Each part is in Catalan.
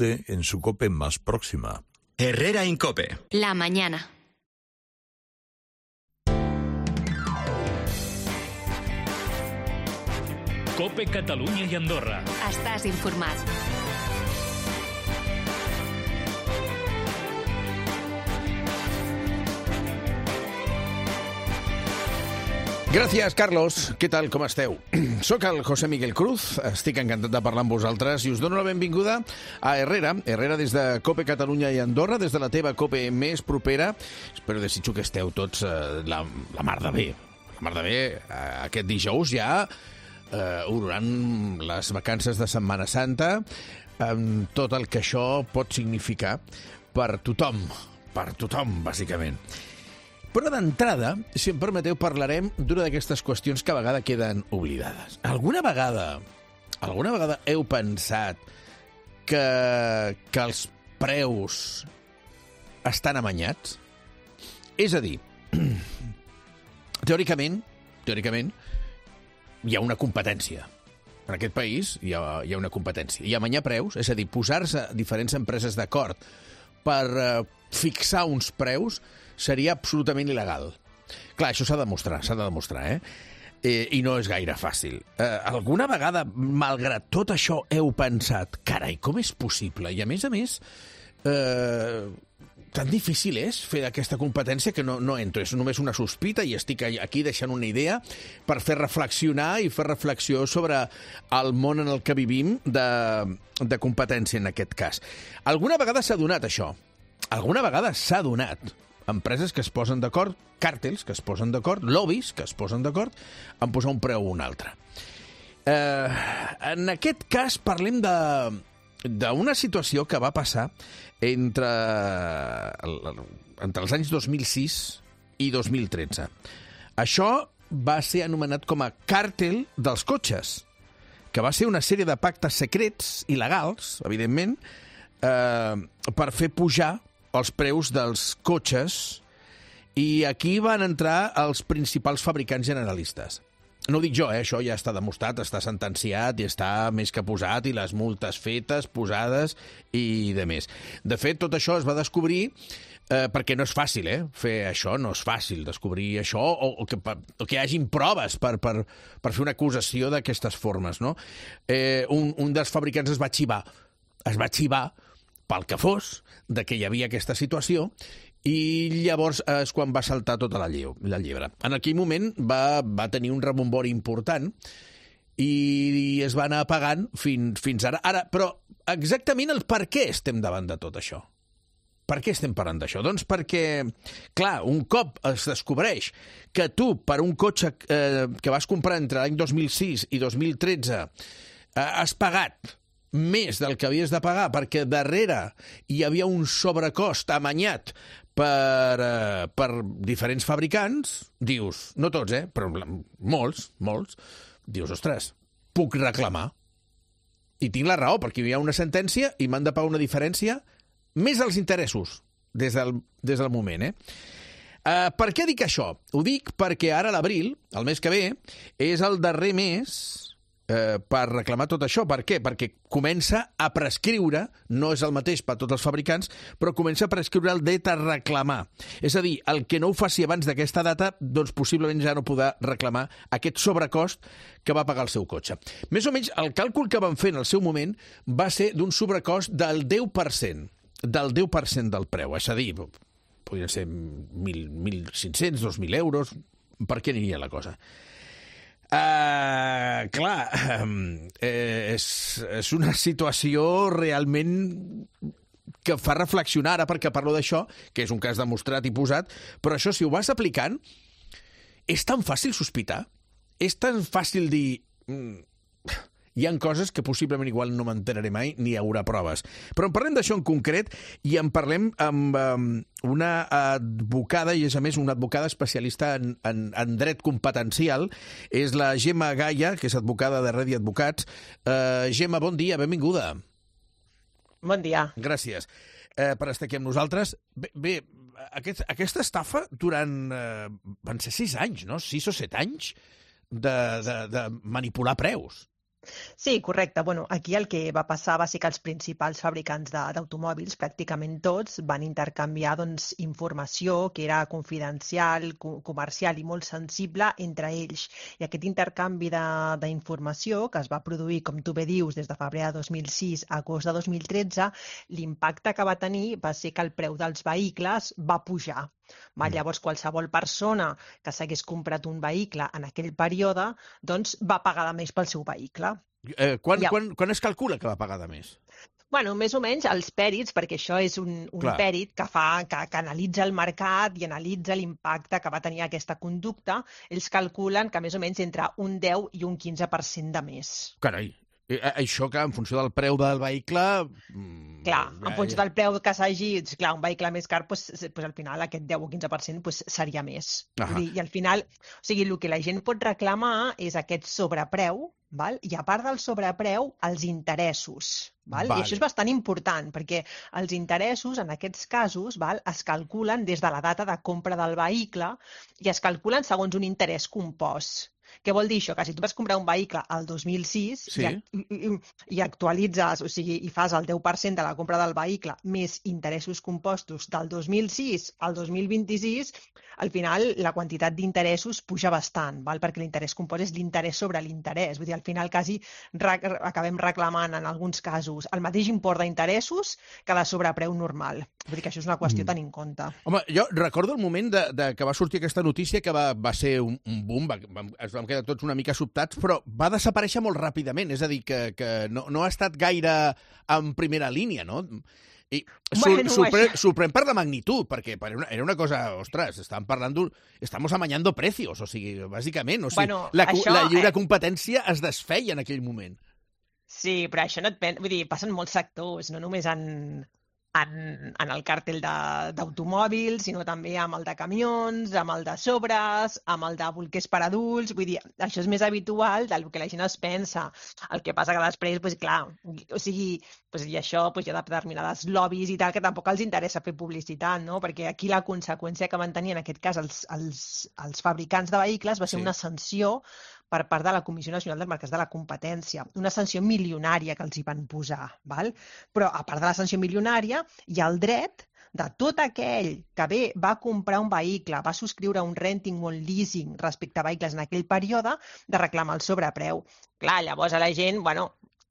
usted en su COPE más próxima. Herrera Incope. La mañana. COPE Catalunya i Andorra. Estàs informat. Gràcies, Carlos. Què tal, com esteu? Soc el José Miguel Cruz, estic encantat de parlar amb vosaltres i us dono la benvinguda a Herrera. Herrera des de COPE Catalunya i Andorra, des de la teva COPE més propera. Espero, desitjo que esteu tots la mar de bé. La mar de bé, aquest dijous ja obroran les vacances de Setmana Santa, amb tot el que això pot significar per tothom, bàsicament. Però d'entrada, si em permeteu, parlarem d'una d'aquestes qüestions que a vegades queden oblidades. Alguna vegada heu pensat que els preus estan amanyats? És a dir, teòricament, hi ha una competència. En aquest país hi ha una competència. I amanyar preus, és a dir, posar-se diferents empreses d'acord per fixar uns preus, seria absolutament il·legal. Clar, això s'ha de demostrar, I no és gaire fàcil. Alguna vegada, malgrat tot això, heu pensat, carai, com és possible? I a més, tan difícil és fer aquesta competència que no entro. És només una sospita i estic aquí deixant una idea per fer reflexionar i fer reflexió sobre el món en el que vivim de competència, en aquest cas. Alguna vegada s'ha donat això. Alguna vegada s'ha donat. Empreses que es posen d'acord, càrtels que es posen d'acord, lobbies que es posen d'acord en posar un preu o un altre. En aquest cas parlem d'una situació que va passar entre els anys 2006 i 2013. Això va ser anomenat com a càrtel dels cotxes, que va ser una sèrie de pactes secrets, il·legals, evidentment, per fer pujar els preus dels cotxes, i aquí van entrar els principals fabricants generalistes. No ho dic jo, això ja està demostrat, està sentenciat i està més que posat, i les multes fetes, posades i de més. De fet, tot això es va descobrir perquè no és fàcil, fer això, no és fàcil descobrir això, o que hi hagin proves per fer una acusació d'aquestes formes, no? Un dels fabricants es va xivar pel que fos, de que hi havia aquesta situació, i llavors és quan va saltar tota la llebre. En aquell moment va tenir un rebombori important i es va anar apagant fins ara. Però exactament el per què estem davant de tot això? Per què estem parlant d'això? Doncs perquè, clar, un cop es descobreix que tu, per un cotxe que vas comprar entre l'any 2006 i 2013, has pagat més del que havies de pagar perquè darrere hi havia un sobrecost amanyat per diferents fabricants, dius, no tots, però molts, dius, ostres, puc reclamar. I tinc la raó, perquè hi ha una sentència i m'han de pagar una diferència més els interessos des del moment, Per què dic això? Ho dic perquè ara l'abril, el mes que ve, és el darrer mes per reclamar tot això. Per què? Perquè comença a prescriure, no és el mateix per tots els fabricants, però comença a prescriure el dret a reclamar. És a dir, el que no ho faci abans d'aquesta data, doncs possiblement ja no podrà reclamar aquest sobrecost que va pagar el seu cotxe. Més o menys, el càlcul que van fer en el seu moment va ser d'un sobrecost del 10%, del preu. És a dir, podrien ser 1.500, 2.000 euros, per què aniria la cosa? És una situació realment que fa reflexionar, ara perquè parlo d'això, que és un cas demostrat i posat, però això, si ho vas aplicant, és tan fàcil sospitar, és tan fàcil dir... Hi ha coses que possiblement igual no m'enteraré mai, ni hi haurà proves. Però en parlem d'això en concret i en parlem amb una advocada, i és a més una advocada especialista en dret competencial. És la Gemma Gaya, que és advocada de Redi Advocats. Gemma, bon dia, benvinguda. Bon dia. Gràcies per estar aquí amb nosaltres. Bé, aquesta estafa durant, van ser 6 anys, no? 6 o 7 anys de manipular preus. Sí, correcte. Bueno, aquí el que va passar va ser que els principals fabricants d'automòbils, pràcticament tots, van intercanviar doncs, informació que era confidencial, comercial i molt sensible entre ells. I aquest intercanvi d'informació, que es va produir, com tu bé dius, des de febrer de 2006 a agost de 2013, l'impacte que va tenir va ser que el preu dels vehicles va pujar. Llavors, qualsevol persona que s'hagués comprat un vehicle en aquell període doncs, va pagar de més pel seu vehicle. Quan es calcula que va pagar de més? Bueno, més o menys els pèrits, perquè això és un pèrit que analitza el mercat i analitza l'impacte que va tenir aquesta conducta, ells calculen que més o menys entre un 10 i un 15% de més. Carai, això que en funció del preu del vehicle... Clar, en funció del preu que s'hagi... Clar, un vehicle més car, al final aquest 10 o 15% seria més. I al final, o sigui, el que la gent pot reclamar és aquest sobrepreu, val? I a part del sobrepreu, els interessos. Val? I això és bastant important, perquè els interessos, en aquests casos, es calculen des de la data de compra del vehicle i es calculen segons un interès compost. Què vol dir això? Que si tu vas comprar un vehicle al 2006 i actualitzes, o sigui, i fas el 10% de la compra del vehicle més interessos compostos del 2006 al 2026, al final la quantitat d'interessos puja bastant, val? Perquè l'interès compost és l'interès sobre l'interès. Vull dir, al final quasi acabem reclamant en alguns casos el mateix import d'interessos que de sobrepreu normal. Vull dir que això és una qüestió a tenir en compte. Home, jo recordo el moment que va sortir aquesta notícia, que va ser un boom, ens vam quedar tots una mica sobtats, però va desaparèixer molt ràpidament, és a dir, que no ha estat gaire en primera línia, no? I sorprèn per la magnitud, perquè era una cosa, ostres, estàvem parlant estamos amañando precios, o sigui, bàsicament, o sigui, la lliure competència es desfeia en aquell moment. Sí, però això no vull dir, passen molts sectors, no només en el càrtel d'automòbils, sinó també amb el de camions, amb el de sobres, amb el de bolquers per adults. Vull dir, això és més habitual del que la gent es pensa. El que passa que després, clar, o sigui, i això hi ha determinades lobbies i tal que tampoc els interessa fer publicitat, no? Perquè aquí la conseqüència que van tenir en aquest cas els fabricants de vehicles va ser una sanció per part de la Comissió Nacional dels Mercats de la Competència, una sanció milionària que els hi van posar, val? Però a part de la sanció milionària hi ha el dret de tot aquell que va comprar un vehicle, va subscriure un renting o un leasing respecte a vehicles en aquell període, de reclamar el sobrepreu. Clar, llavors a la gent,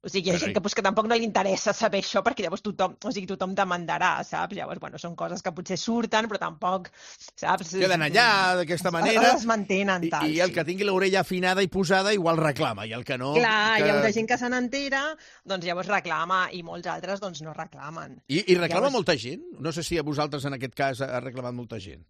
o sigui, hi ha gent que tampoc no li interessa saber això perquè llavors tothom demandarà, saps? Llavors, són coses que potser surten, però tampoc, saps? Queden allà d'aquesta manera. Es mantenen tal. I el que tingui l'orella afinada i posada igual reclama, i el que no... Clar, hi ha gent que se n'entera, doncs llavors reclama, i molts altres doncs no reclamen. I reclama molta gent? No sé si a vosaltres en aquest cas ha reclamat molta gent.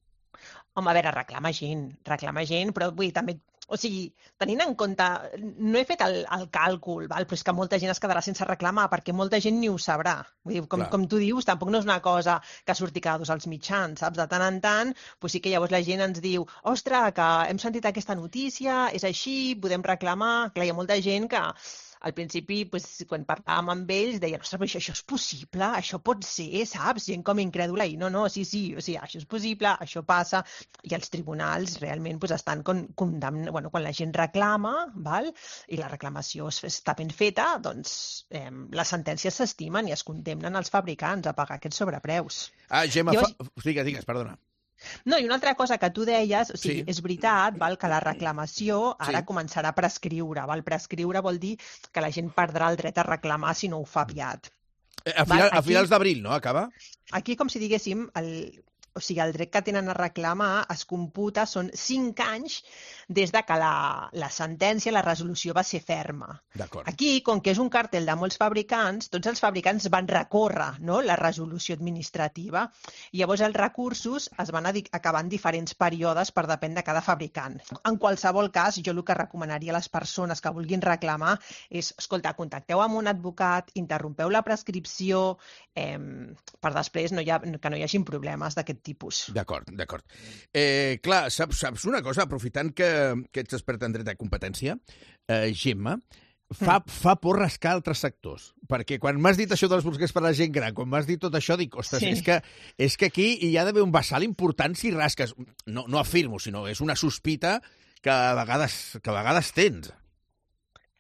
Home, a veure, reclama gent, però vull dir, també... O sigui, tenint en compte, no he fet el càlcul, val? Però és que molta gent es quedarà sense reclamar perquè molta gent ni ho sabrà. Vull dir, com tu dius, tampoc no és una cosa que surti cada dos als mitjans, saps? De tant en tant, sí que llavors la gent ens diu ostres, que hem sentit aquesta notícia, és així, podem reclamar... Clar, hi ha molta gent que... Al principi, quan parlàvem amb ells, deien, ostres, però això és possible, això pot ser, saps? Gent com incrèdula, i no, sí, o sigui, això és possible, això passa, i els tribunals realment estan condemnant, quan la gent reclama, val? I la reclamació està ben feta, doncs les sentències s'estimen i es condemnen els fabricants a pagar aquests sobrepreus. Gemma, digues, perdona. No, i una altra cosa que tu deies, o sigui, és veritat, val, que la reclamació ara començarà a prescriure. Val? Prescriure vol dir que la gent perdrà el dret a reclamar si no ho fa aviat. A finals d'abril, no? Acaba? Aquí, com si diguéssim, el dret que tenen a reclamar es computa, són 5 anys des de que la sentència, la resolució va ser ferma. Aquí, com que és un càrtel de molts fabricants, tots els fabricants van recórrer, no?, la resolució administrativa, i llavors els recursos es van acabar en diferents períodes per depèn de cada fabricant. En qualsevol cas, jo el que recomanaria a les persones que vulguin reclamar és, escolta, contacteu amb un advocat, interrompeu la prescripció, per després que no hi hagin problemes d'aquest tipus. D'acord. Clar, saps una cosa, aprofitant que ets experta en dret de competència, Gemma, fa por rascar altres sectors, perquè quan m'has dit això dels bolquers per a la gent gran, quan m'has dit tot això, dic, ostres, és que aquí hi ha d'haver un vessal important si rasques. No afirmo, sinó és una sospita que a vegades tens.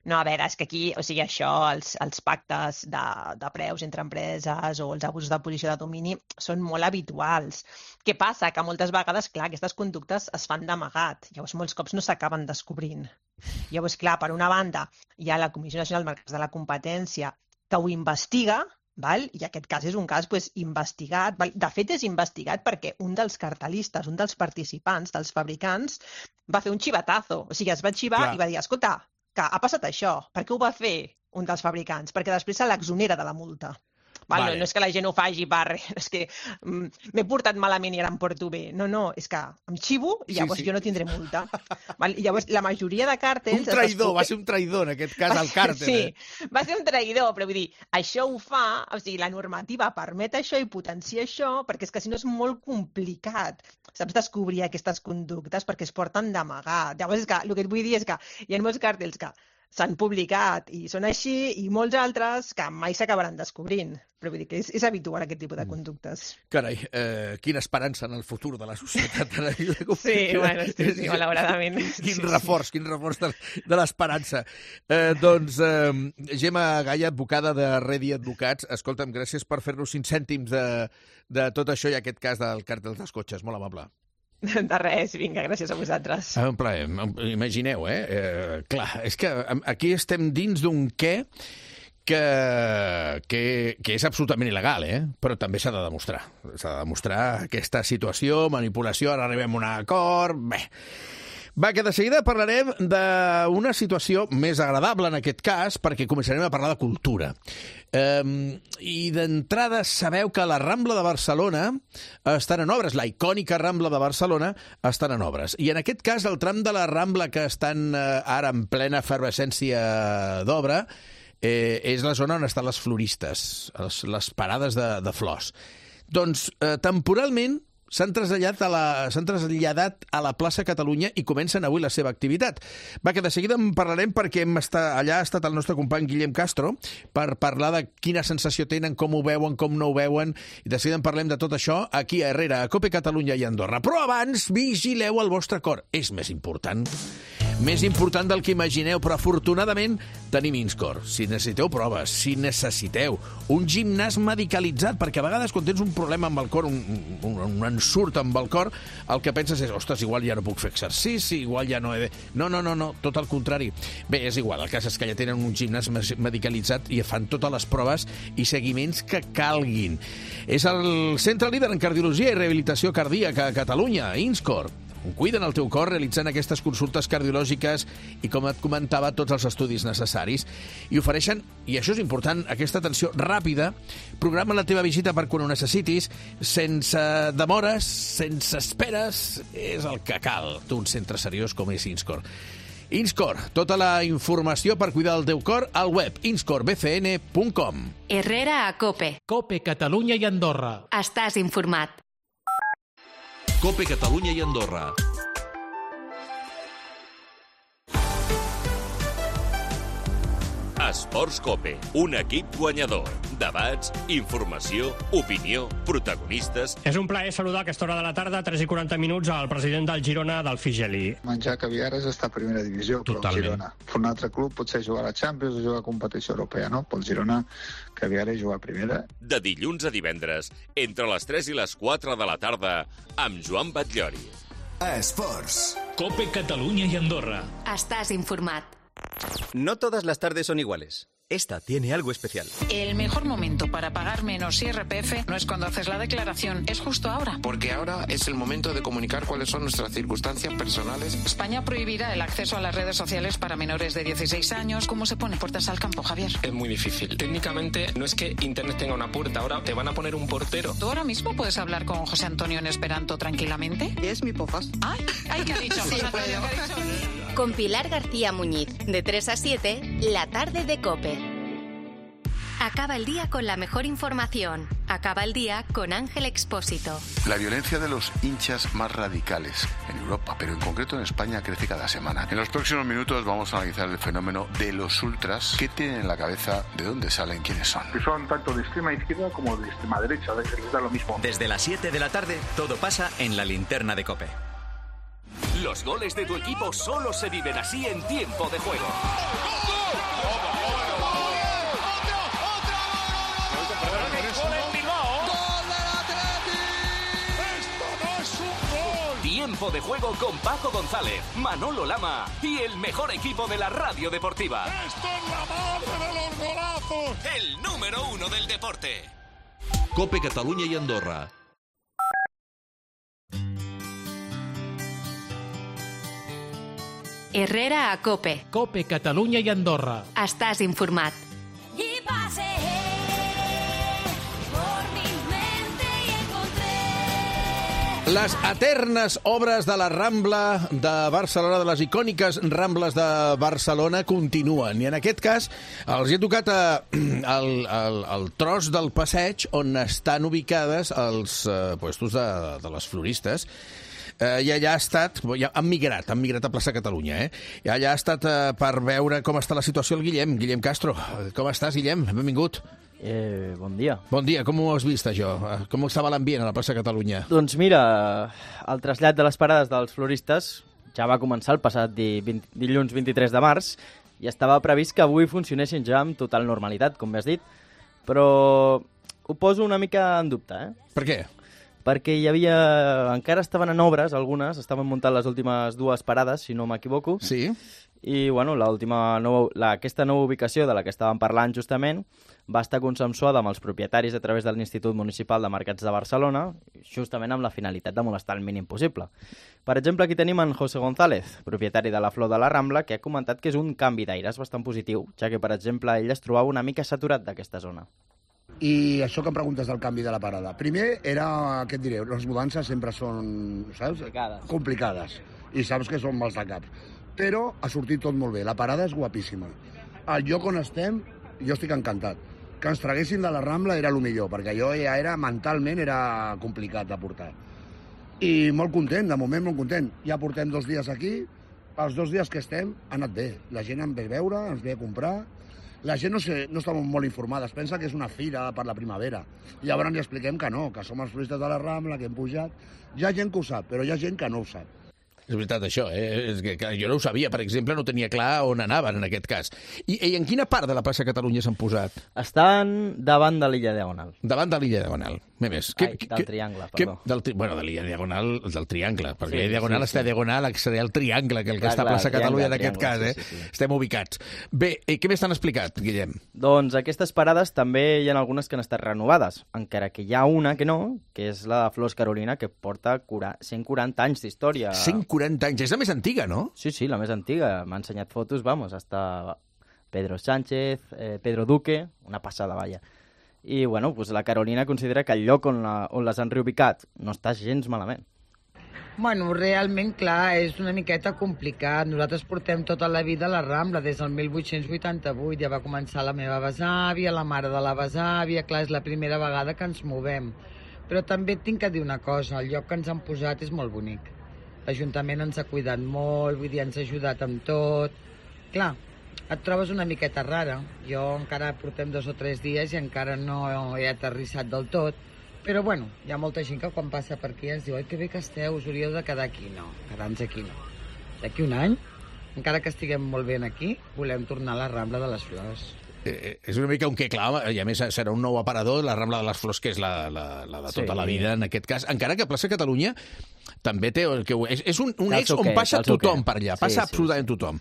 No, a veure, és que aquí, o sigui, això, els pactes de preus entre empreses o els abusos de posició de domini són molt habituals. Què passa? Que moltes vegades, clar, aquestes conductes es fan d'amagat. Llavors, molts cops no s'acaben descobrint. Llavors, clar, per una banda, hi ha la Comissió Nacional del Mercat de la Competència que ho investiga, val? I aquest cas és un cas investigat. Val? De fet, és investigat perquè un dels cartelistes, un dels participants, dels fabricants, va fer un xivatazo. O sigui, es va xivar i va dir, escolta, que ha passat això. Per què ho va fer un dels fabricants? Perquè després se l'exonera de la multa. Vale. No és que la gent ho faci és que m'he portat malament i ara em porto bé. No, és que em xivo i llavors jo no tindré multa. Llavors, la majoria de càrtels... Un traïdor, va ser un traïdor en aquest cas al càrtel. Sí, va ser un traïdor, però vull dir, això ho fa, o sigui, la normativa permet això i potencia això, perquè és que si no és molt complicat, saps, descobrir aquestes conductes perquè es porten d'amagat. Llavors, és que el que et vull dir és que hi ha molts càrtels que s'han publicat i són així, i molts altres que mai s'acabaran descobrint. Però vull dir que és habitual aquest tipus de conductes. Carai, quina esperança en el futur de la societat. Sí, bueno, sí, malauradament. Quin reforç de l'esperança. Doncs, Gemma Gaya, advocada de Redi Advocats, escolta'm, gràcies per fer-nos 5 cèntims de tot això i aquest cas del càrtel dels cotxes. Molt amable. De res, vinga, gràcies a vosaltres. Un plaer, imagineu, clar, és que aquí estem dins d'un què que és absolutament il·legal, però també s'ha de demostrar. S'ha de demostrar aquesta situació, manipulació, ara arribem a un acord... Bé, va, que de seguida parlarem d'una situació més agradable en aquest cas, perquè començarem a parlar de cultura. I d'entrada sabeu que la Rambla de Barcelona estan en obres, la icònica Rambla de Barcelona estan en obres. I en aquest cas el tram de la Rambla que estan ara en plena efervescència d'obra és la zona on estan les floristes, les parades de flors. Doncs temporalment s'han traslladat a la plaça Catalunya i comencen avui la seva activitat. Va, que de seguida en parlarem perquè allà ha estat el nostre company Guillem Castro per parlar de quina sensació tenen, com ho veuen, com no ho veuen, i de seguida en parlem de tot això aquí a Herrera, a Cope Catalunya i Andorra. Però abans, vigileu el vostre cor. És més important del que imagineu, però afortunadament tenim Inscor. Si necessiteu proves, si necessiteu un gimnàs medicalitzat, perquè a vegades quan tens un problema amb el cor, un ensurt amb el cor, el que penses és, ostres, igual ja no puc fer exercici, igual ja no he de... No, tot el contrari. Bé, és igual, el cas és que ja tenen un gimnàs medicalitzat i fan totes les proves i seguiments que calguin. És el centre líder en cardiologia i rehabilitació cardíaca a Catalunya, Inscor. Cuiden el teu cor realitzant aquestes consultes cardiològiques i, com et comentava, tots els estudis necessaris. I ofereixen, i això és important, aquesta atenció ràpida. Programa la teva visita per quan ho necessitis, sense demores, sense esperes. És el que cal d'un centre seriós com és Inscor. Inscor, tota la informació per cuidar el teu cor al web inscorbcn.com. Herrera a Cope. Cope Catalunya i Andorra. Estàs informat. Cope Catalunya i Andorra. Esports Cope, un equip guanyador. Debats, informació, opinió, protagonistes... És un plaer saludar a aquesta hora de la tarda, 3:40 minuts, al president del Girona, del Figeli. Menjar caviar és estar a primera divisió, però el Girona. Un altre club potser jugar a la Champions o jugar a competició europea, no? Pel Girona, caviar és jugar a primera. De dilluns a divendres, entre les 3 i les 4 de la tarda, amb Joan Batllori. Esports. Cope Catalunya i Andorra. Estàs informat. No todas las tardes son iguales. Esta tiene algo especial. El mejor momento para pagar menos IRPF no es cuando haces la declaración, es justo ahora. Porque ahora es el momento de comunicar cuáles son nuestras circunstancias personales. España prohibirá el acceso a las redes sociales para menores de 16 años. ¿Cómo se pone puertas al campo, Javier? Es muy difícil. Técnicamente no es que Internet tenga una puerta, ahora te van a poner un portero. ¿Tú ahora mismo puedes hablar con José Antonio en esperanto tranquilamente? Es mi pofas. Ay, ¿qué ha dicho? Sí, José Antonio, ¿qué ha dicho? Con Pilar García Muñiz, de 3 a 7, la tarde de Cope. Acaba el día con la mejor información. Acaba el día con Ángel Expósito. La violencia de los hinchas más radicales en Europa, pero en concreto en España, crece cada semana. En los próximos minutos vamos a analizar el fenómeno de los ultras. ¿Qué tienen en la cabeza? ¿De dónde salen? ¿Quiénes son? Que son tanto de extrema izquierda como de extrema derecha. Les da lo mismo. Desde las 7 de la tarde, todo pasa en la linterna de Cope. Los goles de tu equipo solo se viven así en tiempo de juego. Tiempo de Juego con Paco González, Manolo Lama y el mejor equipo de la radio deportiva. ¡Esto es la madre de los golazos! El número 1 del deporte. COPE Catalunya i Andorra. Herrera a COPE. COPE Catalunya i Andorra. Estàs informat. Y pasé por mi mente y encontré Les eternes obres de la Rambla de Barcelona, de les icòniques Rambles de Barcelona, continuen. I en aquest cas els he tocat el tros del passeig on estan ubicades els puestos de les floristes. I allà ha estat, han migrat a Plaça Catalunya, I allà ha estat per veure com està la situació el Guillem Castro. Com estàs, Guillem? Benvingut. Bon dia. Bon dia, com ho has vist, això? Com estava l'ambient a la Plaça Catalunya? Doncs mira, el trasllat de les parades dels floristes ja va començar el passat dilluns 23 de març i estava previst que avui funcionessin ja amb total normalitat, com bé has dit, però ho poso una mica en dubte, Per què? Perquè encara estaven en obres, algunes, estaven muntant les últimes 2 parades, si no m'equivoco. Sí. I, bueno, aquesta nova ubicació de la que estàvem parlant justament va estar consensuada amb els propietaris a través de l'Institut Municipal de Mercats de Barcelona, justament amb la finalitat de molestar el mínim possible. Per exemple, aquí tenim en José González, propietari de la Flor de la Rambla, que ha comentat que és un canvi d'aires bastant positiu, ja que, per exemple, ell es trobava una mica saturat d'aquesta zona. I això que em preguntes del canvi de la parada. Primer era, què et diré, les mudances sempre són, saps? Complicades. I saps que són mals de caps. Però ha sortit tot molt bé. La parada és guapíssima. El lloc on estem, jo estic encantat. Que ens traguessin de la Rambla era el millor, perquè allò ja era, mentalment, era complicat de portar. I molt content, de moment molt content. Ja portem 2 dies aquí. Els 2 dies que estem ha anat bé. La gent em ve a veure, ens ve a comprar. La gent no està molt informada, es pensa que és una fira per la primavera. Llavors li expliquem que no, que som els floristes de la Rambla, que hem pujat. Hi ha gent que ho sap, però hi ha gent que no ho sap. És veritat, això, És que jo no ho sabia, per exemple, no tenia clar on anaven, en aquest cas. I en quina part de la plaça Catalunya s'han posat? Estan davant de l'illa Diagonal. Davant de l'illa Diagonal, més. Del Triangle, perdó. Bueno, de l'illa Diagonal, del Triangle, perquè l'illa Diagonal està Diagonal, seria el Triangle, que el que està a plaça Catalunya en aquest cas, Sí. Estem ubicats. Bé, què més t'han explicat, Guillem? Doncs aquestes parades també hi ha algunes que han estat renovades, encara que hi ha una que no, que és la de Flors Carolina, que porta 140 anys d'història. 140 anys, és la més antiga, no? Sí, la més antiga. M'ha ensenyat fotos, hasta Pedro Sánchez, Pedro Duque, una passada, vaja. I, bueno, pues la Carolina considera que el lloc on les han reubicat no està gens malament. Bueno, realment, clar, és una miqueta complicat. Nosaltres portem tota la vida a la Rambla, des del 1888. Ja va començar la meva besàvia, la mare de la besàvia. Clar, és la primera vegada que ens movem. Però també tinc que dir una cosa, el lloc que ens han posat és molt bonic. L'Ajuntament ens ha cuidat molt, vull dir, ens ha ajudat amb tot. Clar, et trobes una miqueta rara. Jo encara portem 2 o 3 dies i encara no he aterrissat del tot. Però, bueno, hi ha molta gent que quan passa per aquí ens diu «Ai, que bé que esteu, us hauríeu de quedar aquí». No, quedar-nos aquí no. D'aquí un any, encara que estiguem molt bé aquí, volem tornar a la Rambla de les Flors. És una mica un que clar, i a més serà un nou aparador, la Rambla de les Flors, que és la de tota la vida, en aquest cas. Encara que Plaça Catalunya també té... És un ex on passa tothom per allà, passa absolutament tothom.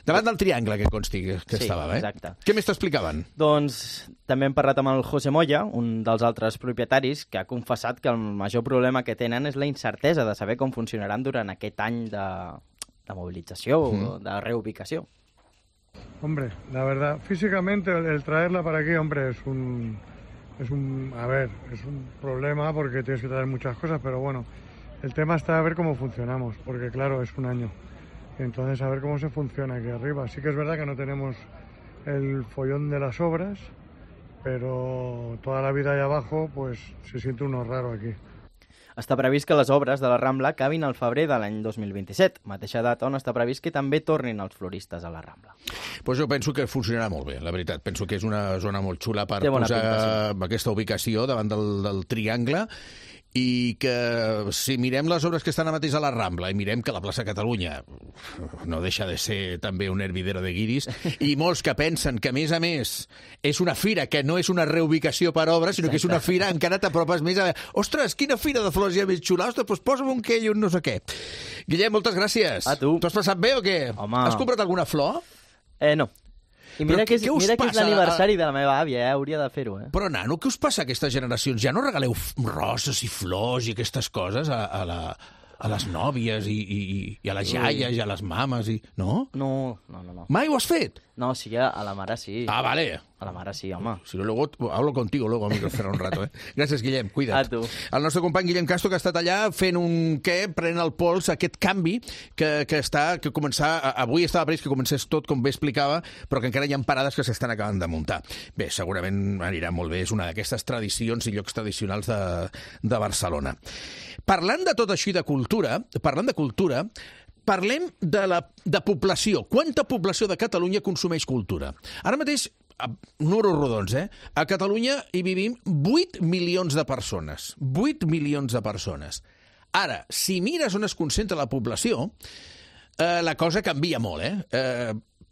Davant del Triangle, que consti que estava, exacte. Què més t'explicaven? Doncs també hem parlat amb el José Moya, un dels altres propietaris, que ha confessat que el major problema que tenen és la incertesa de saber com funcionaran durant aquest any de movilització o de reubicació. Hombre, la verdad, físicamente el traerla para aquí, hombre, es un problema porque tienes que traer muchas cosas, pero bueno, el tema está a ver cómo funcionamos, porque claro, es un año. Entonces, a ver cómo se funciona aquí arriba. Sí que es verdad que no tenemos el follón de las obras, pero toda la vida allá abajo, pues se siente uno raro aquí. Està previst que les obres de la Rambla acabin al febrer de l'any 2027, mateixa data on està previst que també tornin els floristes a la Rambla. Pues jo penso que funcionarà molt bé, la veritat. Penso que és una zona molt xula per posar aquesta ubicació davant del Triangle i que si mirem les obres que estan ara mateix a la Rambla i mirem que la plaça Catalunya no deixa de ser també un hervidero de guiris, i molts que pensen que, a més, és una fira que no és una reubicació per obra, sinó que és una fira, encara t'apropes més a... Ostres, quina fira de flors hi ha més xula? Ostres, doncs posa'm un què i un no sé què. Guillem, moltes gràcies. A tu. T'ho has passat bé o què? Home. Has comprat alguna flor? No. I mira que és l'aniversari de la meva àvia, hauria de fer-ho. Però, nano, què us passa a aquestes generacions? Ja no regaleu roses i flors i aquestes coses a les nòvies i a les iaies i a les mames? No? No. Mai ho has fet? No, sí, a la mare sí. Ah, vale. A la mare sí, home. Si no, luego hablo contigo luego, amigo, será un rato, Gràcies, Guillem, cuida't. A tu. El nostre company Guillem Castro, que ha estat allà fent prenent el pols, aquest canvi que avui estava previst que comencés tot, com bé explicava, però que encara hi ha parades que s'estan acabant de muntar. Bé, segurament anirà molt bé, és una d'aquestes tradicions i llocs tradicionals de Barcelona. Parlant de tot això i de cultura, parlem de població. Quanta població de Catalunya consumeix cultura? Ara mateix, números rodons, a Catalunya hi vivim 8 milions de persones. 8 milions de persones. Ara, si mires on es concentra la població, la cosa canvia molt,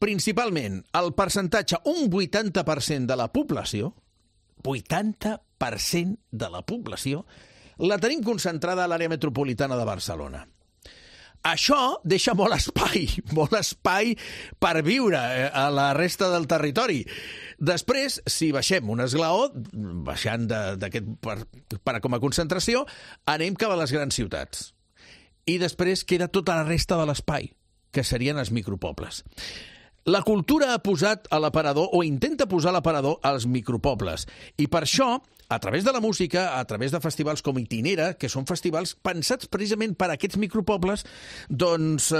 Principalment, el percentatge, un 80% de la població, 80% de la població, la tenim concentrada a l'àrea metropolitana de Barcelona. Això deixa molt espai per viure a la resta del territori. Després, si baixem un esglaó, baixant com a concentració, anem cap a les grans ciutats. I després queda tota la resta de l'espai, que serien els micropobles. La cultura ha posat a l'aparador, o intenta posar a l'aparador, als micropobles. I per això, a través de la música, a través de festivals com Itinera, que són festivals pensats precisament per a aquests micropobles, doncs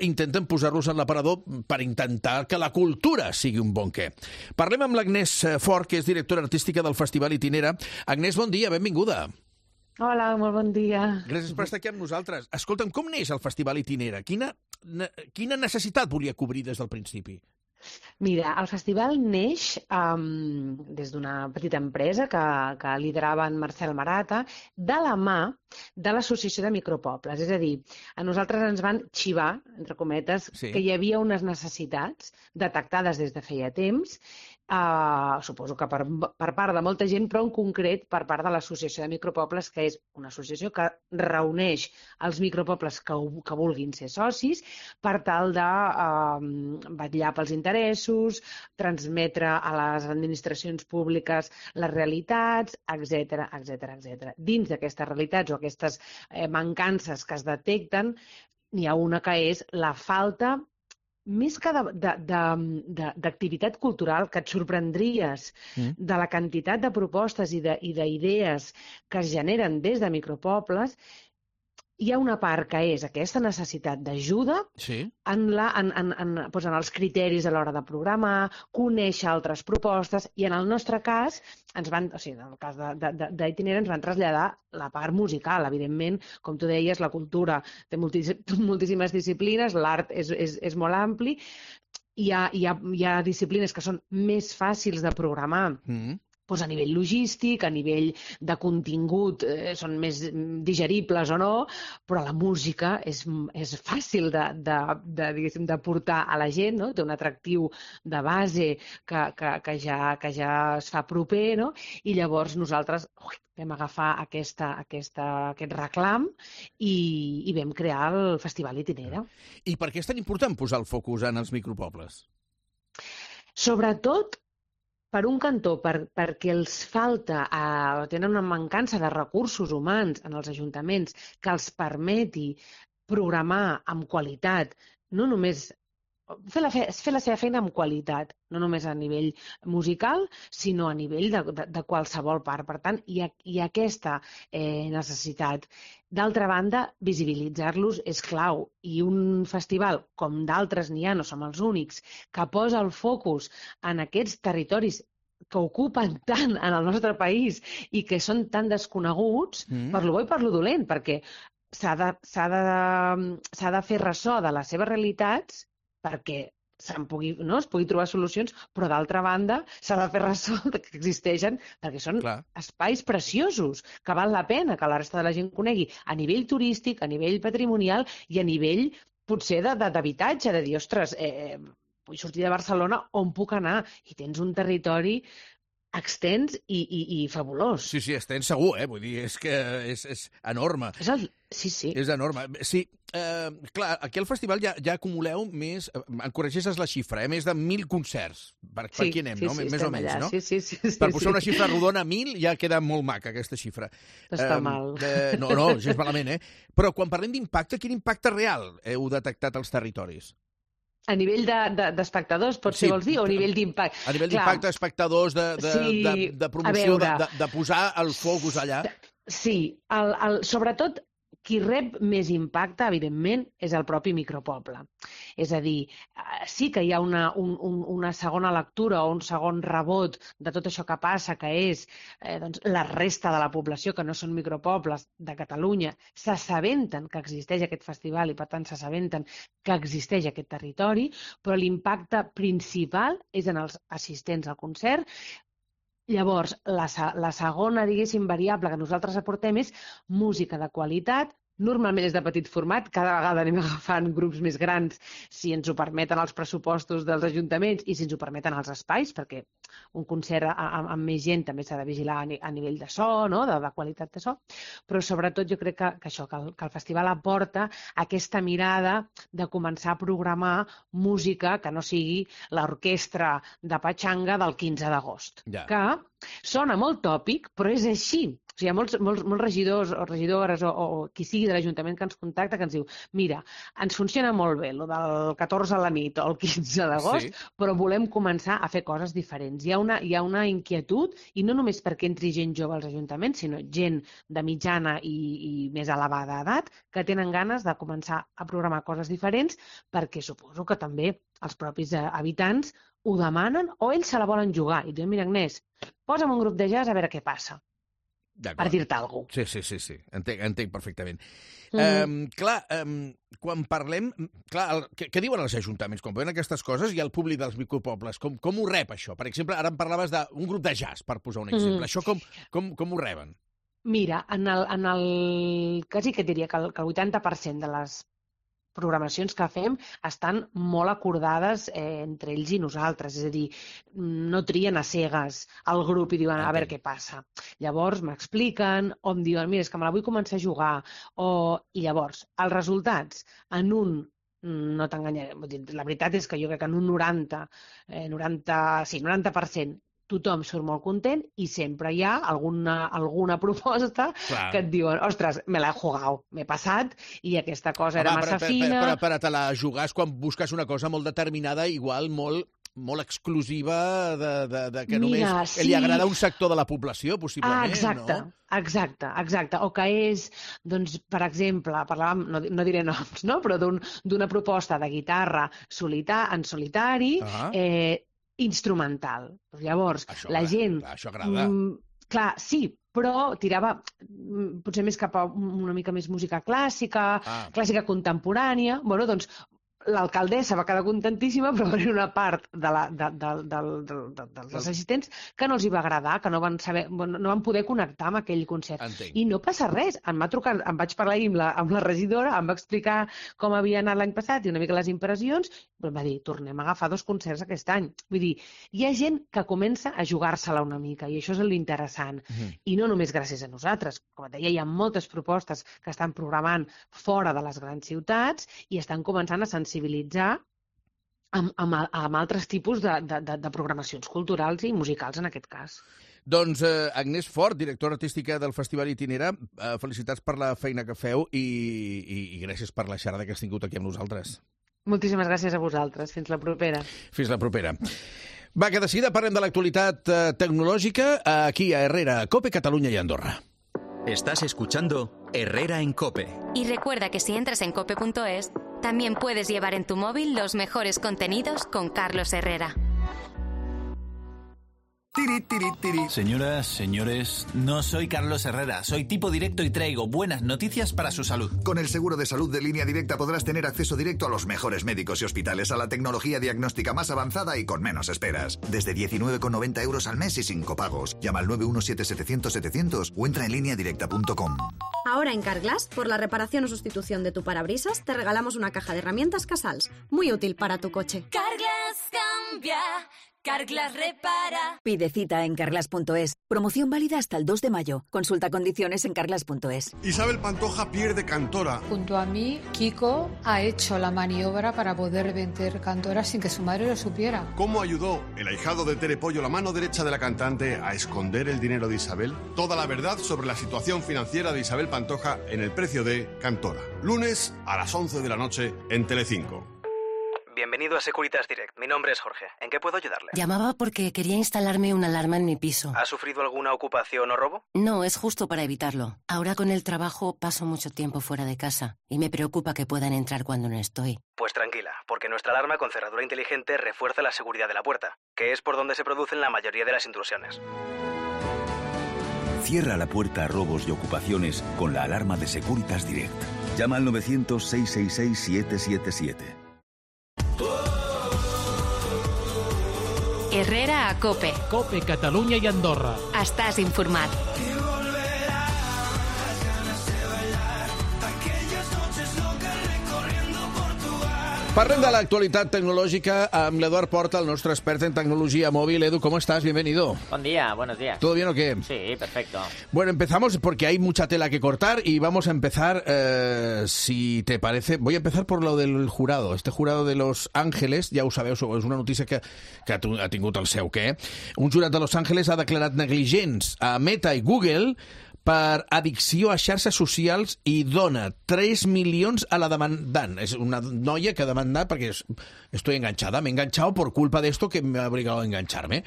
intenten posar-los en l'aparador per intentar que la cultura sigui un bon què. Parlem amb l'Agnès Fort, que és directora artística del Festival Itinera. Agnès, bon dia, benvinguda. Hola, molt bon dia. Gràcies per estar aquí amb nosaltres. Escolta'm, com neix el Festival Itinera? Quina necessitat volia cobrir des del principi? Mira, el festival neix des d'una petita empresa que liderava en Marcel Marata, de la mà de l'Associació de Micropobles. És a dir, a nosaltres ens van xivar, entre cometes, que hi havia unes necessitats detectades des de feia temps, suposo que per part de molta gent, però en concret per part de l'Associació de Micropobles, que és una associació que reuneix els micropobles que vulguin ser socis per tal de vetllar pels interessos, transmetre a les administracions públiques les realitats, etc. Dins d'aquestes realitats o aquestes mancances que es detecten, n'hi ha una que és la falta, més que d'activitat cultural, que et sorprendries de la quantitat de propostes i d'idees que es generen des de micropobles. Hi ha una part que és aquesta necessitat d'ajuda en els criteris a l'hora de programar, conèixer altres propostes, i en el nostre cas, en el cas d'Itinera, ens van traslladar la part musical. Evidentment, com tu deies, la cultura té moltíssimes disciplines, l'art és molt ampli, hi ha disciplines que són més fàcils de programar, a nivell logístic, a nivell de contingut, són més digeribles o no, però la música és fàcil de portar a la gent, no? Té un atractiu de base que ja es fa proper, no? I llavors nosaltres vam agafar aquest reclam i vam crear el Festival Itinera. I per què és tan important posar el focus en els micropobles? Sobretot, per un cantó, perquè els falta, tenen una mancança de recursos humans en els ajuntaments que els permeti programar amb qualitat, no només fer la seva feina amb qualitat, no només a nivell musical, sinó a nivell de qualsevol part. Per tant, hi ha aquesta necessitat. D'altra banda, visibilitzar-los és clau, i un festival, com d'altres n'hi ha, no som els únics, que posa el focus en aquests territoris que ocupen tant en el nostre país i que són tan desconeguts, per lo bo i per lo dolent, perquè s'ha de fer ressò de les seves realitats, perquè es pugui trobar solucions, però d'altra banda s'ha de fer ressò que existeixen, perquè són espais preciosos, que val la pena que la resta de la gent conegui a nivell turístic, a nivell patrimonial i a nivell potser d'habitatge, de dir, ostres, vull sortir de Barcelona, on puc anar? I tens un territori extens i fabulós. Sí, extens segur, vull dir, és que és enorme. Sí. És enorme. Sí, clar, aquí al festival ja acumuleu més, em corregeixes la xifra, més de 1.000 concerts. Per aquí anem, no? Més o menys, no? Sí. Per posar una xifra rodona, 1.000, ja queda molt maca, aquesta xifra. Està mal. No, gens malament, Però quan parlem d'impacte, quin impacte real heu detectat als territoris? A nivell d'espectadors, potser vols dir, o a nivell d'impacte? A nivell d'impacte, espectadors, de promoció, de posar el focus allà. Sí, sobretot qui rep més impacte, evidentment, és el propi micropoble. És a dir, sí que hi ha una segona lectura o un segon rebot de tot això que passa, que és la resta de la població, que no són micropobles de Catalunya, s'assabenten que existeix aquest festival i, per tant, s'assabenten que existeix aquest territori, però l'impacte principal és en els assistents al concert. Llavors, la segona, diguéssim, variable que nosaltres aportem és música de qualitat. Normalment és de petit format, cada vegada anem agafant grups més grans si ens ho permeten els pressupostos dels ajuntaments i si ens ho permeten els espais, perquè un concert amb més gent també s'ha de vigilar a nivell de so, no? de qualitat de so, però sobretot jo crec que el festival aporta aquesta mirada de començar a programar música que no sigui l'orquestra de Pachanga del 15 d'agost, que sona molt tòpic, però és així. O sigui, hi ha molts regidors o regidores o qui sigui de l'Ajuntament que ens contacta que ens diu, mira, ens funciona molt bé el del 14 a la nit o el 15 d'agost, però volem començar a fer coses diferents. Hi ha una inquietud, i no només perquè entri gent jove als ajuntaments, sinó gent de mitjana i més elevada edat, que tenen ganes de començar a programar coses diferents, perquè suposo que també els propis habitants ho demanen o ells se la volen jugar. I diuen, mira, Agnès, posa'm un grup de jazz a veure què passa. Per dir-te alguna cosa. Sí. Entenc perfectament. Quan parlem... Què diuen els ajuntaments? Quan veuen aquestes coses i el públic dels micropobles, com ho rep, això? Per exemple, ara em parlaves d'un grup de jazz, per posar un exemple. Això com ho reben? Mira, quasi que diria que el 80% de les programacions que fem estan molt acordades entre ells i nosaltres, és a dir, no trien a cegues el grup i diuen a veure què passa. Llavors m'expliquen o em diuen, mira, és que me la vull començar a jugar, i llavors els resultats no t'enganyaré, la veritat és que jo crec que en un 90% tothom surt molt content i sempre hi ha alguna proposta que et diuen, ostres, me l'he jugat, m'he passat i aquesta cosa era massa fina. Però per a te la jugar és quan busques una cosa molt determinada, igual molt exclusiva, que només li agrada a un sector de la població, possiblement, no? Exacte. O que és, doncs, per exemple, parlàvem, no diré noms, no? Però d'una proposta de guitarra en solitari, instrumental. Llavors, la gent... Això agrada. Clar, sí, però tirava potser més cap a una mica més música clàssica, clàssica contemporània. Bueno, doncs, l'alcaldessa va quedar contentíssima, però va haver una part dels assistents que no els hi va agradar, que no van poder connectar amb aquell concert. I no passa res. Em va trucar, em vaig parlar amb la regidora, em va explicar com havia anat l'any passat i una mica les impressions, però em va dir, tornem a agafar 2 concerts aquest any. Vull dir, hi ha gent que comença a jugar-se-la una mica, i això és l'interessant. I no només gràcies a nosaltres. Com et deia, hi ha moltes propostes que estan programant fora de les grans ciutats i estan començant a sensibilitzar amb altres tipus de programacions culturals i musicals, en aquest cas. Doncs Agnès Fort, directora artística del Festival Itinera, felicitats per la feina que feu i gràcies per la xerrada que has tingut aquí amb nosaltres. Moltíssimes gràcies a vosaltres. Fins la propera. Fins la propera. Va, que de seguida parlem de l'actualitat tecnològica aquí a Herrera, Cope, Catalunya i Andorra. Estás escuchando Herrera en Cope. Y recuerda que si entras en cope.es, también puedes llevar en tu móvil los mejores contenidos con Carlos Herrera. Tiri, tiri, tiri. Señoras, señores, no soy Carlos Herrera, soy tipo directo y traigo buenas noticias para su salud. Con el seguro de salud de Línea Directa podrás tener acceso directo a los mejores médicos y hospitales, a la tecnología diagnóstica más avanzada y con menos esperas. Desde 19,90 € al mes y sin copagos. Llama al 917-700-700 o entra en lineadirecta.com. Ahora en Carglass, por la reparación o sustitución de tu parabrisas, te regalamos una caja de herramientas Casals, muy útil para tu coche. Carglass cambia, Carglass repara. Pide cita en carglass.es. Promoción válida hasta el 2 de mayo. Consulta condiciones en carglass.es. Isabel Pantoja pierde Cantora. Junto a mí, Kiko ha hecho la maniobra para poder vender Cantora sin que su madre lo supiera. ¿Cómo ayudó el ahijado de Tere Pollo, la mano derecha de la cantante, a esconder el dinero de Isabel? Toda la verdad sobre la situación financiera de Isabel Pantoja en El precio de Cantora. Lunes a las 11 de la noche en Telecinco. Bienvenido a Securitas Direct. Mi nombre es Jorge. ¿En qué puedo ayudarle? Llamaba porque quería instalarme una alarma en mi piso. ¿Ha sufrido alguna ocupación o robo? No, es justo para evitarlo. Ahora con el trabajo paso mucho tiempo fuera de casa y me preocupa que puedan entrar cuando no estoy. Pues tranquila, porque nuestra alarma con cerradura inteligente refuerza la seguridad de la puerta, que es por donde se producen la mayoría de las intrusiones. Cierra la puerta a robos y ocupaciones con la alarma de Securitas Direct. Llama al 900-666-777. Herrera a COPE. COPE, Catalunya i Andorra. Estàs informat. Parlem de l'actualitat tecnològica amb l'Eduard Porta, el nostre expert en tecnologia móvil. Edu, ¿cómo estás? Bienvenido. Buen día, buenos días. ¿Todo bien o qué? Sí, perfecto. Bueno, empezamos porque hay mucha tela que cortar y vamos a empezar, si te parece, voy a empezar por lo del jurado. Este jurado de Los Ángeles, ja ho sabeu, és una notícia que ha tingut el seu què. Un jurat de Los Ángeles ha declarat negligents a Meta i Google per addicció a xarxes socials i dona 3 milions a la demandant. És una noia que ha demandat perquè estoy enganchada, me he enganchado por culpa de esto que me ha obligado a engancharme.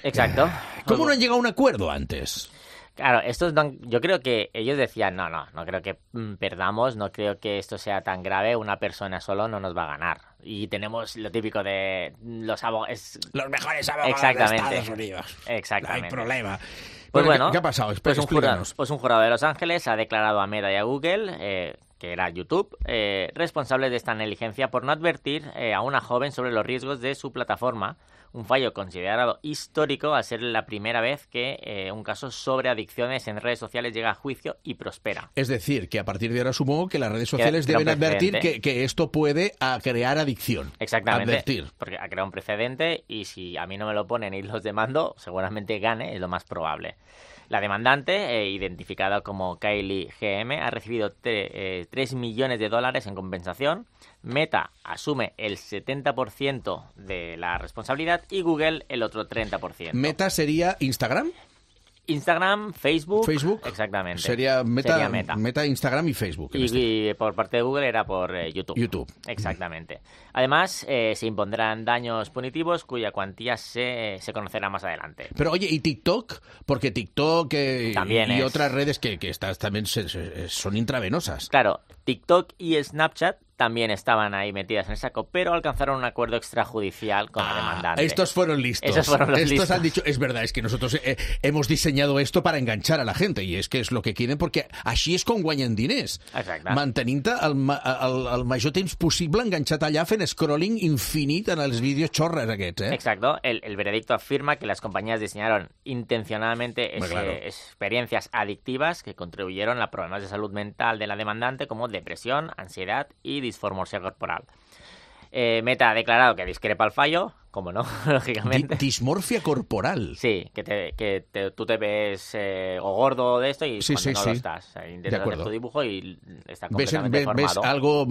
Exacto. ¿Cómo no han llegado a un acuerdo antes? Claro, yo creo que ellos decían, no creo que perdamos, no creo que esto sea tan grave, una persona solo no nos va a ganar. Y tenemos lo típico de los abogados... Los mejores abogados de Estados Unidos. Exactamente. No hay problema. Pues bueno, ¿qué ha pasado? Pues un jurado de Los Ángeles ha declarado a Meta y a Google, que era YouTube, responsables de esta negligencia por no advertir a una joven sobre los riesgos de su plataforma, un fallo considerado histórico al ser la primera vez que un caso sobre adicciones en redes sociales llega a juicio y prospera. Es decir, que a partir de ahora supongo que las redes sociales deben advertir que esto puede crear adicción. Exactamente, advertir. Porque ha creado un precedente y si a mí no me lo ponen y los demando, seguramente gane, es lo más probable. La demandante, identificada como Kylie GM, ha recibido 3 millones de dólares en compensación. Meta asume el 70% de la responsabilidad y Google el otro 30%. ¿Meta sería Instagram? Instagram, Facebook. Exactamente. Sería Meta, Instagram y Facebook. Y por parte de Google era por YouTube. Exactamente. Además, se impondrán daños punitivos cuya cuantía se conocerá más adelante. Pero oye, ¿y TikTok? Porque TikTok y otras redes que estas también son intravenosas. Claro, TikTok y Snapchat también estaban ahí metidas en el saco, pero alcanzaron un acuerdo extrajudicial con la demandante. Estos fueron listos. Estos han dicho, es verdad, es que nosotros hemos diseñado esto para enganchar a la gente, y es que es lo que quieren, perquè així és com guanyen diners. Exacte. Mantenint-te el major temps possible enganxat allà fent scrolling infinit en els vídeos xorres aquests, Exacto. El veredicto afirma que las compañías diseñaron intencionadamente experiencias adictivas que contribuyeron a problemas de salud mental de la demandante como depresión, ansiedad y disformia corporal. Meta ha declarado que discrepa el fallo, como no, lógicamente. Dismorfia corporal. Sí, que tú te ves o gordo de esto y cuando no lo estás. Intentas hacer tu dibujo y está completamente deformado. Ves algo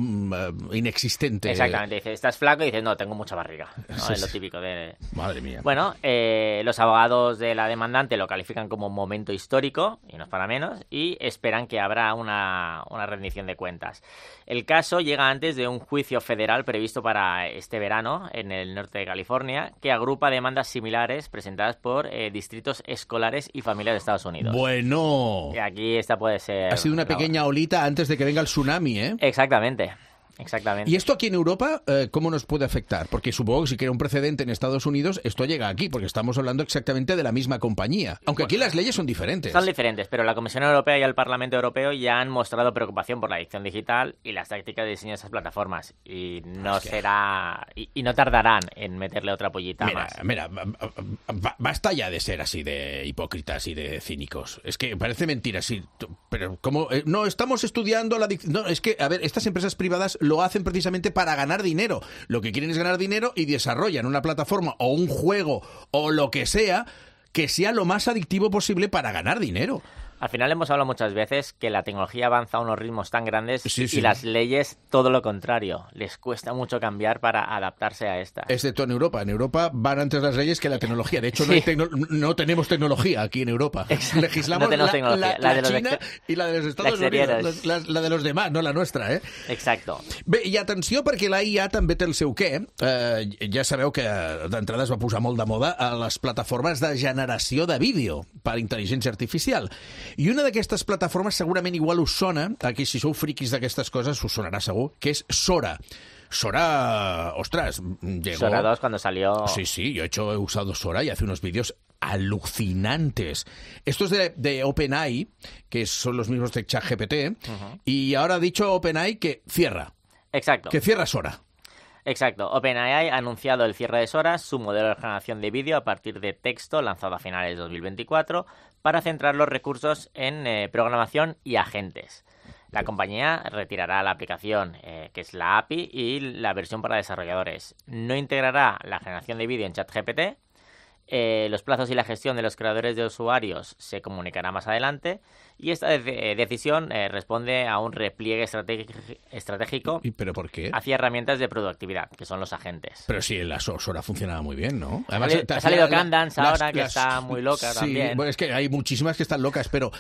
inexistente. Exactamente. Dices, estás flaco y dices, no, tengo mucha barriga. ¿No? Es lo típico de... Madre mía. Bueno, los abogados de la demandante lo califican como un momento histórico, y no es para menos, y esperan que habrá una rendición de cuentas. El caso llega antes de un juicio federal previsto para este verano en el norte de California, que agrupa demandas similares presentadas por distritos escolares y familias de Estados Unidos. Bueno. Y aquí esta puede ser... Ha sido una pequeña olita antes de que venga el tsunami, ¿eh? Exactamente. Exactamente. ¿Y esto aquí en Europa cómo nos puede afectar? Porque supongo que si crea un precedente en Estados Unidos, esto llega aquí, porque estamos hablando exactamente de la misma compañía. Aunque aquí las leyes son diferentes. Son diferentes, pero la Comisión Europea y el Parlamento Europeo ya han mostrado preocupación por la adicción digital y las tácticas de diseño de esas plataformas. Y no será... Y no tardarán en meterle otra pollita más. Mira, basta ya de ser así de hipócritas y de cínicos. Es que parece mentira, sí. Pero como no estamos estudiando la adicción... No, es que, a ver, estas empresas privadas lo hacen precisamente para ganar dinero. Lo que quieren es ganar dinero y desarrollan una plataforma o un juego o lo que sea lo más adictivo posible para ganar dinero. Al final hemos hablado muchas veces que la tecnología avanza a unos ritmos tan grandes sí. Y las leyes todo lo contrario. Les cuesta mucho cambiar para adaptarse a estas. Excepto en Europa. En Europa van antes las leyes que la tecnología. De hecho, no tenemos tecnología aquí en Europa. Exacto. Legislamos no la de China y la de los Estados Unidos. La de los demás, no la nuestra, eh? Exacto. Bé, i atenció perquè la IA també té el seu què. Ja sabeu que d'entrada es va posar molt de moda a les plataformes de generació de vídeo per intel·ligència artificial. I una d'aquestes plataformes segurament igual us sona, aquí si sou friquis d'aquestes coses us sonarà segur, que és Sora. Sora, ostras, llegó... Sora 2 cuando salió... Sí, yo he usado Sora y hace unos vídeos alucinantes. Esto es de OpenAI, que son los mismos de ChatGPT, y ahora ha dicho OpenAI que cierra. Exacto. Que cierra Sora. Exacto. OpenAI ha anunciado el cierre de Sora, su modelo de generación de vídeo a partir de texto lanzado a finales de 2024, para centrar los recursos en programación y agentes. La compañía retirará la aplicación, que es la API, y la versión para desarrolladores. No integrará la generación de vídeo en ChatGPT. Los plazos y la gestión de los creadores de usuarios se comunicará más adelante, y esta decisión responde a un repliegue estratégico. ¿Y pero por qué? Hacia herramientas de productividad, que son los agentes. Pero sí, la Sora funcionaba muy bien, ¿no? Además, ha salido Candance ahora, que está muy loca también. Sí, bueno, es que hay muchísimas que están locas, pero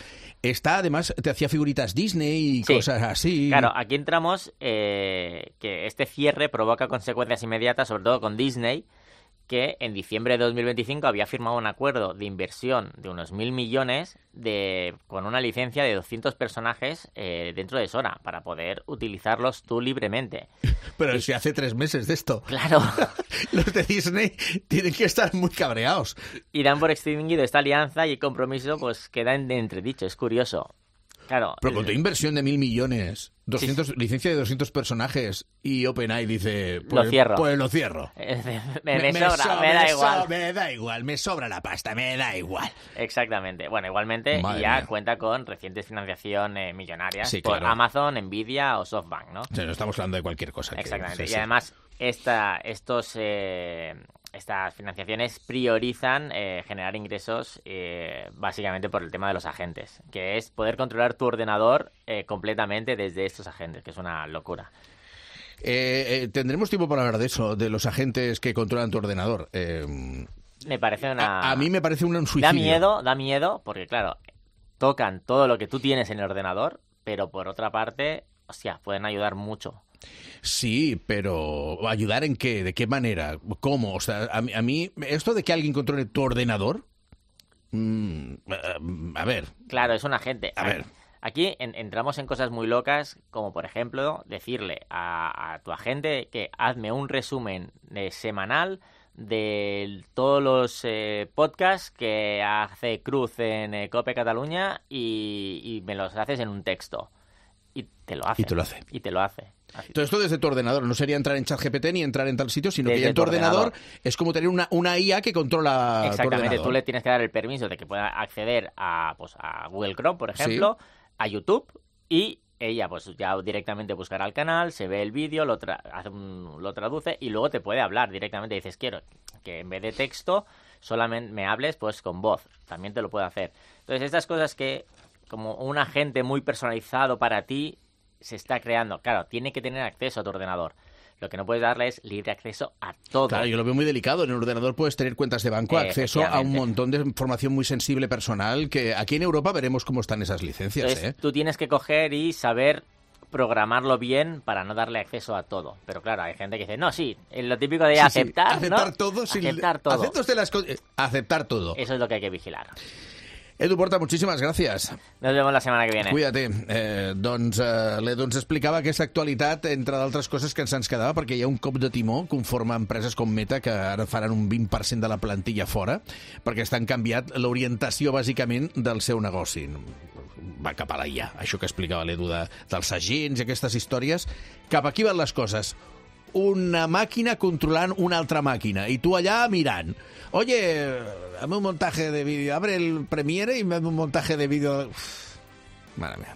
además te hacía figuritas Disney y cosas así. Claro, aquí entramos que este cierre provoca consecuencias inmediatas, sobre todo con Disney, que en diciembre de 2025 había firmado un acuerdo de inversión de unos 1.000 millones con una licencia de 200 personajes dentro de Sora para poder utilizarlos tú libremente. Pero si hace 3 meses de esto. Claro. Los de Disney tienen que estar muy cabreados. Y dan por extinguido esta alianza y el compromiso pues queda en entredicho. Es curioso. Claro. Pero con tu inversión de 1.000 millones, 200, licencia de 200 personajes, y OpenAI dice... Pues, lo cierro. Pues lo cierro. Me sobra, me da igual. Me da igual, me sobra la pasta, me da igual. Exactamente. Bueno, igualmente Madre ya mía. cuenta con recientes financiación millonarias por Amazon, Nvidia o SoftBank, ¿no? O sea, no estamos hablando de cualquier cosa. Exactamente. Y además, estas financiaciones priorizan generar ingresos básicamente por el tema de los agentes, que es poder controlar tu ordenador completamente desde estos agentes, que es una locura. Tendremos tiempo para hablar de eso, de los agentes que controlan tu ordenador. Me parece una... A mí me parece un suicidio. Da miedo, porque claro, tocan todo lo que tú tienes en el ordenador, pero por otra parte, hostia, pueden ayudar mucho. Sí, pero ¿ayudar en qué? ¿De qué manera? ¿Cómo? O sea, a mí esto de que alguien controle tu ordenador... a ver... Claro, es un agente. A ver... Aquí entramos en cosas muy locas, como por ejemplo decirle a tu agente que hazme un resumen semanal de todos los podcasts que hace Cruz en COPE Cataluña y me los haces en un texto. Y te lo hace. Y te lo hace. Así. Todo esto desde tu ordenador. No sería entrar en ChatGPT ni entrar en tal sitio, sino desde que ya en tu ordenador es como tener una IA que controla tu ordenador. Exactamente. Tú le tienes que dar el permiso de que pueda acceder a Google Chrome, por ejemplo, a YouTube, y ella pues ya directamente buscará el canal, se ve el vídeo, lo traduce y luego te puede hablar directamente. Dices, quiero que en vez de texto solamente me hables pues con voz. También te lo puede hacer. Entonces, estas cosas que como un agente muy personalizado para ti se está creando. Claro, tiene que tener acceso a tu ordenador. Lo que no puedes darle es libre acceso a todo. Claro, yo lo veo muy delicado. En el ordenador puedes tener cuentas de banco, acceso a un montón de información muy sensible personal, que aquí en Europa veremos cómo están esas licencias. Entonces, tú tienes que coger y saber programarlo bien para no darle acceso a todo. Pero claro, hay gente que dice, no, sí, lo típico de aceptar, aceptar ¿no? todo. Aceptar todo. Aceptar todo. Eso es lo que hay que vigilar. Edu Porta, muchísimas gracias. Nos vemos la semana que viene. Cuídate. L'Edu ens explicava aquesta actualitat, entre d'altres coses que se'ns quedava, perquè hi ha un cop de timó conforme empreses com Meta, que ara faran un 20% de la plantilla fora, perquè estan canviat l'orientació, bàsicament, del seu negoci. Va cap a la IA, això que explicava l'Edu dels agents i aquestes històries. Cap aquí van les coses. Una màquina controlant una altra màquina, i tu allà mirant. Oye, hazme un montaje de vídeo. Abre el Premiere y me hazme un montaje de vídeo. Mare meva.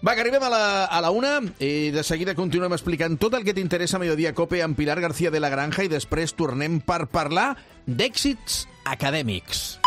Va, que arribem a la 1 i de seguida continuem explicant tot el que t'interessa a Mediodía Cope amb Pilar García de la Granja i després tornem per parlar d'èxits acadèmics.